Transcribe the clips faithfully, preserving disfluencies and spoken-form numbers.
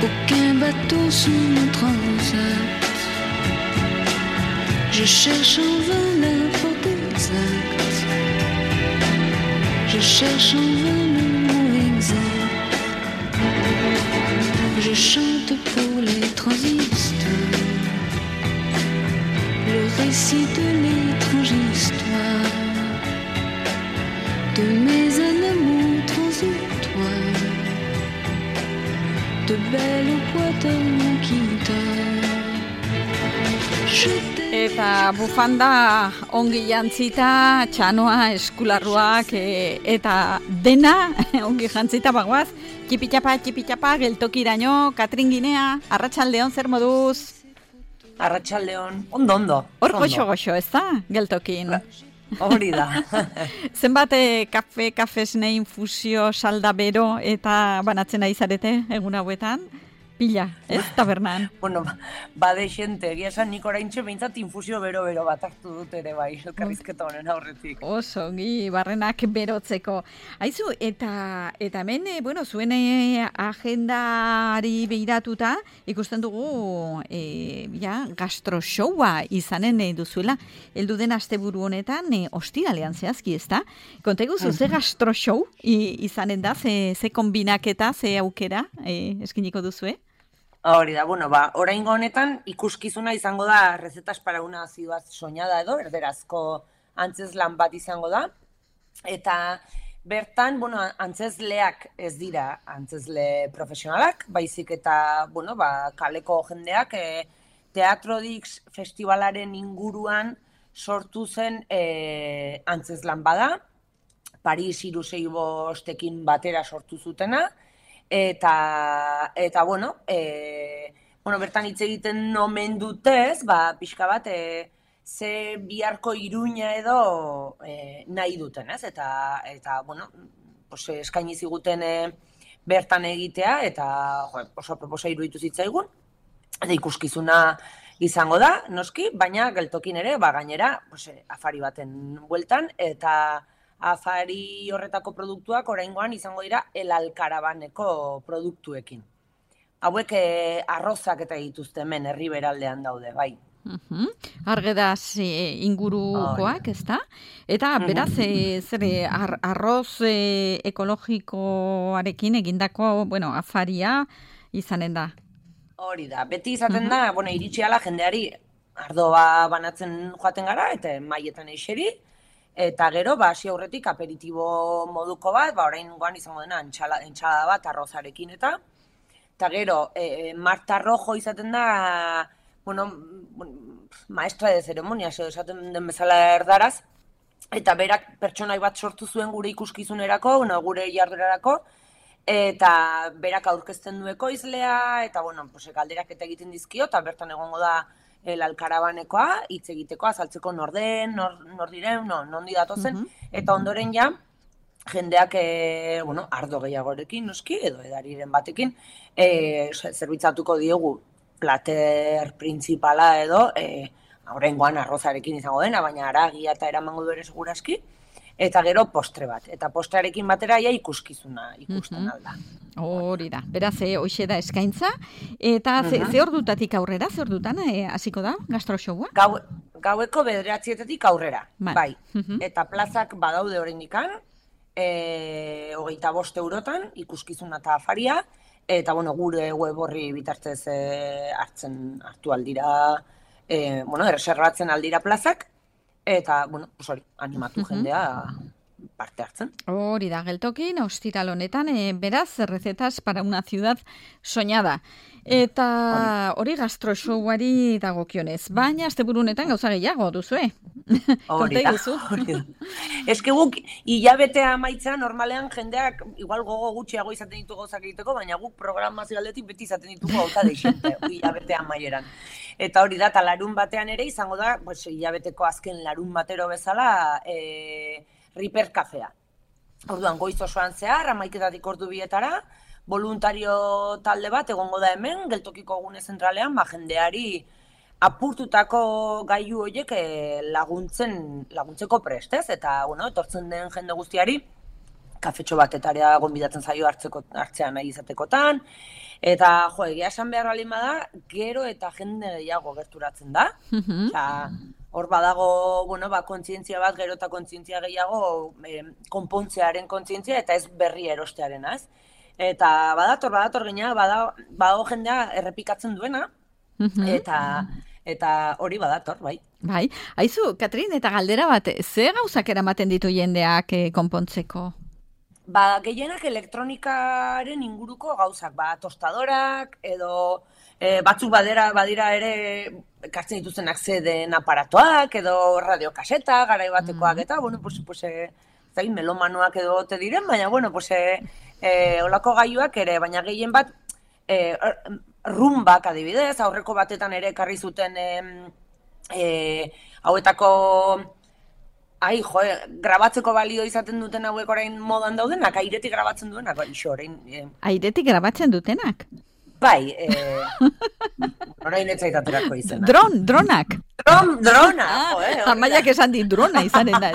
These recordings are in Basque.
qu'aucun bateau sous mon transat. Je cherche en vain la porte exacte. Je cherche en vain le mot exact. Je chante pour les transistors le récit de l'étrange histoire de mes amours transitoires, de belles boîtes à guitare. Eta bufanda ongi jantzita, txanoa, eskularruak e, eta dena ongi jantzita bagoaz. Txipitxapa, txipitxapa, geltokiraino, Katrin Ginea, arratsaldeon zer moduz? Arratsaldeon, ondo, ondo. Hor goxo-goxo, ez da, geltokin? Hori da. Zenbat kafe, kafesne infusio, salda bero eta banatzen ari zarete egun hauetan? Pila, ez, tabernan. Bueno, bade xente, egia esan nik oraintxe behintzat infusio bero-bero bat hartu dut ere bai, elkarrizketa honen aurretik. Oso, ongi, barrenak berotzeko. Aizu, eta eta hemen, bueno, zuen agendari behiratuta, ikusten dugu, e, ja, gastroshowa izanen duzuela, heldu den asteburu honetan, e, ostiralean zehazki, ez da? Kontegu zu, ze gastroshow izanen da, ze, ze kombinaketa, ze aukera, e, eskiniko duzue? Hori da, bueno, ba, oraingo honetan ikuskizuna izango da recetas para una ciudad soñada edo, erderazko antzeslan bat izango da. Eta bertan, bueno, antzesleak ez dira antzesle profesionalak, baizik eta, bueno, ba, kaleko jendeak e, Teatro Dix festivalaren inguruan sortu zen e, antzeslan bada, Paris hiru sei bostekin batera sortu zutena. Eta, eta bueno, e, bueno, bertan hitz egiten omen dutez, ba, pixka bat, e, ze biharko Iruña edo e, nahi duten, ez? Eta, eta bueno, pues, eskaini ziguten e, bertan egitea, eta jo, oso proposa iruditu zitzaigun, eta ikuskizuna izango da, noski, baina geltokin ere, ba, gainera, pues, afari baten bueltan, eta afari horretako produktuak oraingoan izango dira El Alkarabaneko produktuekin. Hauek eh, arrozak eta dituzte hemen herriberaldean daude, bai. Uh-huh. Argedaz e, ingurukoak, ez da? Eta beraz, e, zer, ar, arroz e, ekologikoarekin egindako, bueno, afaria izanen da. Hori da, beti izaten da, bueno, iritsi ala jendeari ardoa banatzen joaten gara, eta maietan eixeri, eta gero, ba, hasi aurretik aperitibo moduko bat, ba, oraingoan izango dena entxalada bat arrozarekin eta, eta gero, e, Marta Rojo izaten da, bueno, maestra de ceremonias, edo esaten den bezala erdaraz, eta berak pertsonai bat sortu zuen gure ikuskizunerako, bueno, gure jardurarako, eta berak aurkezten du ekoizlea, eta, bueno, pues, galderak eta egiten dizkio, eta bertan egongo da El Alkarabanekoa, hitz egiteko, azaltzeko norden, nor, nor diren, no, nondi datozen, uh-huh. Eta ondoren ja, jendeak, e, bueno, ardo gehiagorekin, noski, edo edariren batekin, e, zerbitzatuko diogu plater principala edo, e, aurrengoan arrozarekin izango dena, baina aragia eta eramango du ere seguraski, eta gero postre bat. Eta postrearekin batera ja ikuskizuna ikusten mm-hmm. alda. Hori da. Beraz, e, hoxe da eskaintza. Eta ze, mm-hmm. ze ordutatik aurrera, ze ordutan hasiko da gastroshowa? Gau, gaueko bederatzietatik aurrera, bai. bai. Mm-hmm. Eta plazak badaude oraindikan, e, hogeita bost eurotan, ikuskizuna eta afaria, eta bueno, gure web horri bitartez e, hartzen hartu aldira, e, bueno, erreserbatzen aldira plazak, eta, bueno, pues hori, animatu uh-huh. jendea parte hartzen. Hori da, geltokin, ostiral honetan, e, beraz, recetas para una ciudad soñada. Eta hori gastroshowari dagokionez. Baina, asteburu honetan gauza gehiago duzue. Hori da, hori da. Ez que guk, hilabetea amaitza, normalean jendeak, igual gogo gutxiago izaten ditu gauzak egiteko, baina guk programazio aldetik beti izaten ditugu gauza deixente, hilabetea amaieran. Eta hori da, eta larun batean ere izango da, pues, hilabeteko azken larun batero bezala, e, Riper kafea. Orduan, goiz osoan zehar, hamaiketatik ordu bietara, voluntario talde bat egongo da hemen, geltokiko gune zentralean, ba, jendeari apurtutako gailu horiek laguntzen, laguntzeko prestez, eta, bueno, etortzen den jende guztiari, kafetxo bat etarea gonbidatzen zaio hartzeko, hartzea nahi izatekotan, Eta, jo, egia esan behar balin bada, gero eta jende gehiago gerturatzen da. Osea, hor badago, bueno, ba, kontzientzia bat, gero eta kontzientzia gehiago, eh, konpontzearen kontzientzia eta ez berri erostearena, ez? Eta badator, badator gina, badago, badago jendea errepikatzen duena, eta eta hori badator, bai. Bai, aizu, Katrin, eta galdera bat, ze gauzak eramaten ditu jendeak eh, konpontzeko? Ba, gehienak elektronikaren inguruko gauzak, ba, tostadorak, edo e, batzuk badera, badira ere ekartzen dituztenak zeden aparatoak, edo radiokaseta, garai batekoak, eta, bueno, pues, pues, e, zain, melomanoak edo te diren, baina, bueno, pues, e, e, olako gaiuak ere, baina gehien bat, e, rumbak adibidez, aurreko batetan ere ekarri zuten e, e, hauetako... Ai, jo, grabatzeko balio izaten duten hauek orain modan daudenak, airetik grabatzen duenak, ixo, orain... Eh. Airetik grabatzen dutenak? Bai, eh, orain etzaitaterako izena. Dron, dronak. Dron, drona, jo, eh. Amaiak esan di drona izanen da,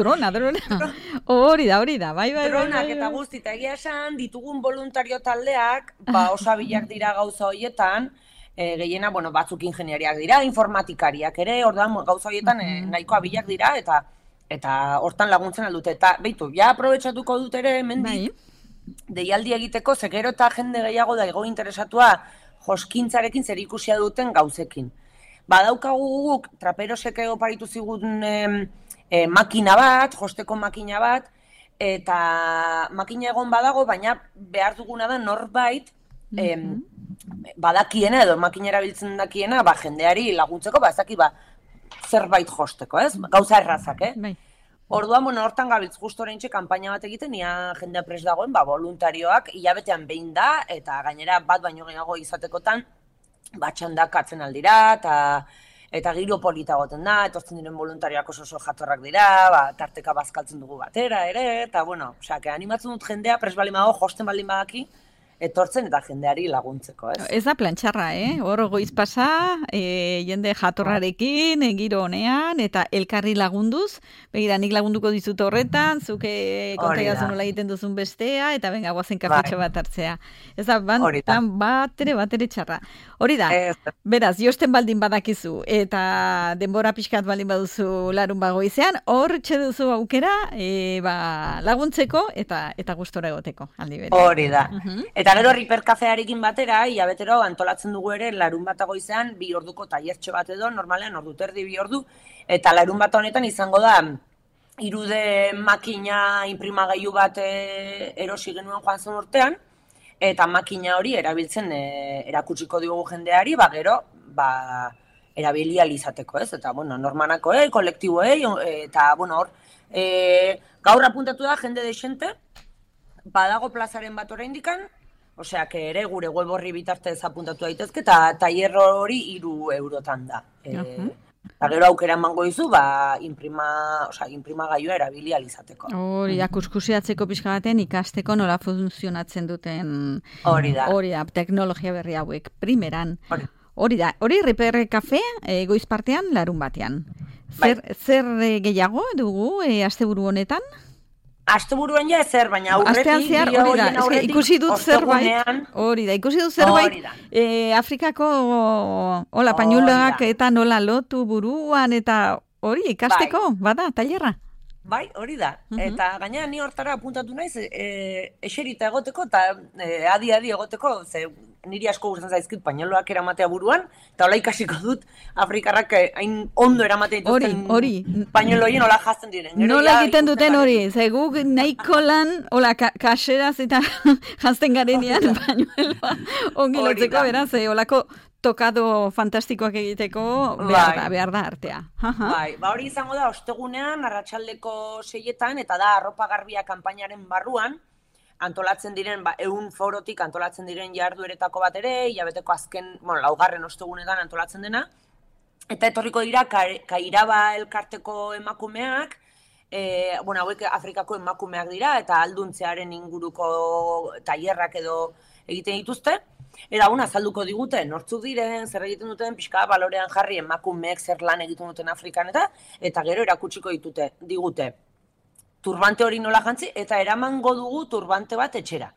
drona, drona. Hori da, hori da, bai, bai, bai. Dronak eta guzti, eta egia esan, ditugun voluntario taldeak, ba, oso abilak dira gauza horietan, E, gehiena, bueno, batzuk ingeniariak dira, informatikariak ere, orduan gauza horietan e, nahiko abilak dira, eta eta hortan laguntzen aldute. Eta, beitu, ja aprobetxatuko dut ere, mendik, deialdi egiteko, zekero eta jende gehiago da ego interesatua joskintzarekin zer ikusia duten gauzekin. Badaukagu guk, traperosek oparitu zigun e, e, makina bat, josteko makina bat, eta makina egon badago, baina behar duguna da norbait, e, badakiena edo makinera biltzen dakiena, ba, jendeari laguntzeko, ba, ez daki, ba, zerbait josteko, ez? Gauza errazak, eh? Bai. Orduan, bueno, hortan gabiltz justo oraintxe kanpaina bat egiten, ia jendea prest dagoen, ba, voluntarioak hilabetean behin da, eta gainera bat baino gehiago izatekotan, batxandak atzen aldira, eta eta giro polita goten da, etortzen diren voluntarioak oso oso jatorrak dira, ba, tarteka bazkaltzen dugu batera ere, eta, bueno, osea, que animatzen dut jendea, prest baldin badago, josten baldin badaki, etortzen eta jendeari laguntzeko, ez? Ez da plantxarra, eh? Hor goiz pasa, e, jende jatorrarekin, e, giro honean, eta elkarri lagunduz, begira, nik lagunduko dizut horretan, zuke kontaiazun nola egiten duzun bestea, eta benga, guazen kafetxo bat hartzea. Ez da, ban, plan bat ere, bat ere txarra. Hori da, beraz, josten baldin badakizu, eta denbora pixkat baldin baduzu larun bagoizean, hor txe duzu aukera, e, ba, laguntzeko, eta eta gustora egoteko, aldi bere. Hori da. Eta gero Riper kafearekin batera, hilabetero antolatzen dugu ere larun bat goizean bi orduko tailertxo bat edo, normalean ordu terdi bi ordu, eta larun bat honetan izango da irude makina inprimagailu bat e, erosi genuen joan zen urtean, eta makina hori erabiltzen e, erakutsiko diogu jendeari, ba gero, ba, erabili alizateko, ez? Eta, bueno, normanakoei, kolektiboei, eta, bueno, hor, e, gaur apuntatu da jende desente, badago plazaren bat oraindikan, osea, que ere gure web horri bitartez apuntatu daitezke, eta tailer hori hiru eurotan da. E, uh-huh. Eta gero aukera emango dizu, ba, imprima, osea, imprimagailua erabili alizateko. Hori da, kuskusiatzeko pixka baten ikasteko nola funtzionatzen duten... Hori da. Hori da, teknologia berri hauek, primeran. Hori. Hori da, hori Riper Kafe e, goiz partean larun batean. Zer, bai. zer gehiago dugu e, asteburu honetan? Asteburuan ja ezer, baina aurretik... Astean zehar, hori da, eske, ikusi dut zerbait, hori da, ikusi dut zerbait, e, Afrikako hola, pañuloak eta nola lotu buruan, eta hori, ikasteko, bai. Bada, tailerra. Bai, hori da, uh-huh. Eta gainera ni hortara apuntatu naiz, e, eserita egoteko, eta e, adi-adi egoteko, ze niri asko gustatzen zaizkit pañuloak eramatea buruan, eta hola ikasiko dut Afrikarrak hain ondo eramatea dituzten pañuloien hola jazten diren. Gero nola egiten duten hori, ze guk nahiko lan, hola, ka kaseraz eta jazten garenean pañueloa ongi lotzeko, beraz, holako tokado fantastikoak egiteko behar da, behar da artea. Bai, ba hori izango da, ostegunean, arratsaleko seietan, eta da arropa garbia kanpainaren barruan, antolatzen diren, ba, ehun forotik antolatzen diren jardueretako bat ere, hilabeteko azken, bueno, laugarren ostegunetan antolatzen dena, eta etorriko dira Kairaba elkarteko emakumeak, e, bueno, hauek Afrikako emakumeak dira, eta alduntzearen inguruko tailerrak edo egiten dituzte, eta una azalduko digute, nortzuk diren, zer egiten duten, pixka balorean jarri emakumeek zer lan egiten duten Afrikan eta, eta gero erakutsiko ditute, digute. Turbante hori nola jantzi, eta eramango dugu turbante bat etxera.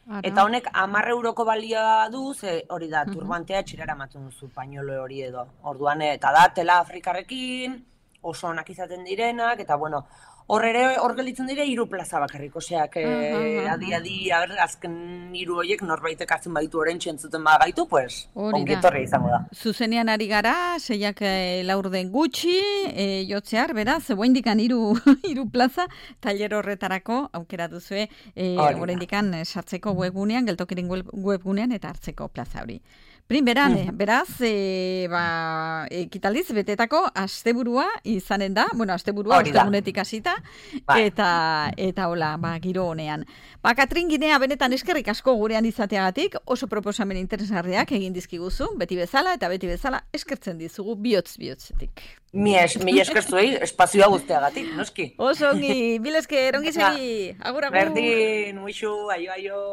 Ara. Eta honek hamar euroko balioa du, ze hori da, turbantea txirara ematen duzu pañolo hori edo. Orduan, eta da, tela afrikarrekin, oso onak izaten direnak, eta bueno, hor ere, hor gelditzen dire, hiru plaza bakarrik, oseak, eh, adi, adi, aber, azken hiru horiek norbaitek hartzen baditu orentxe entzuten bagaitu, pues, ongetorria izango da. Zuzenean ari gara, seiak e, laurden gutxi, e, jotzear, beraz, oraindikan hiru hiru plaza, tailer horretarako, aukera duzue, e, oraindikan sartzeko webgunean, geltokiren webgunean, eta hartzeko plaza hori. Primberan, mm. beraz, e, ba, ekitaldiz betetako asteburua izanen da, bueno, asteburua ostegunetik hasita, eta eta hola, ba, giro honean. Ba, Katrin Ginea, benetan eskerrik asko gurean izateagatik, oso proposamen interesgarriak egin dizkiguzu, beti bezala, eta beti bezala eskertzen dizugu bihotz-bihotzetik. Mi es, mi eskertzuei, espazioa guztiagatik, noski. Oso ongi, bil esker, ongi segi, agur, agur. Berdin, muixu, aio, aio.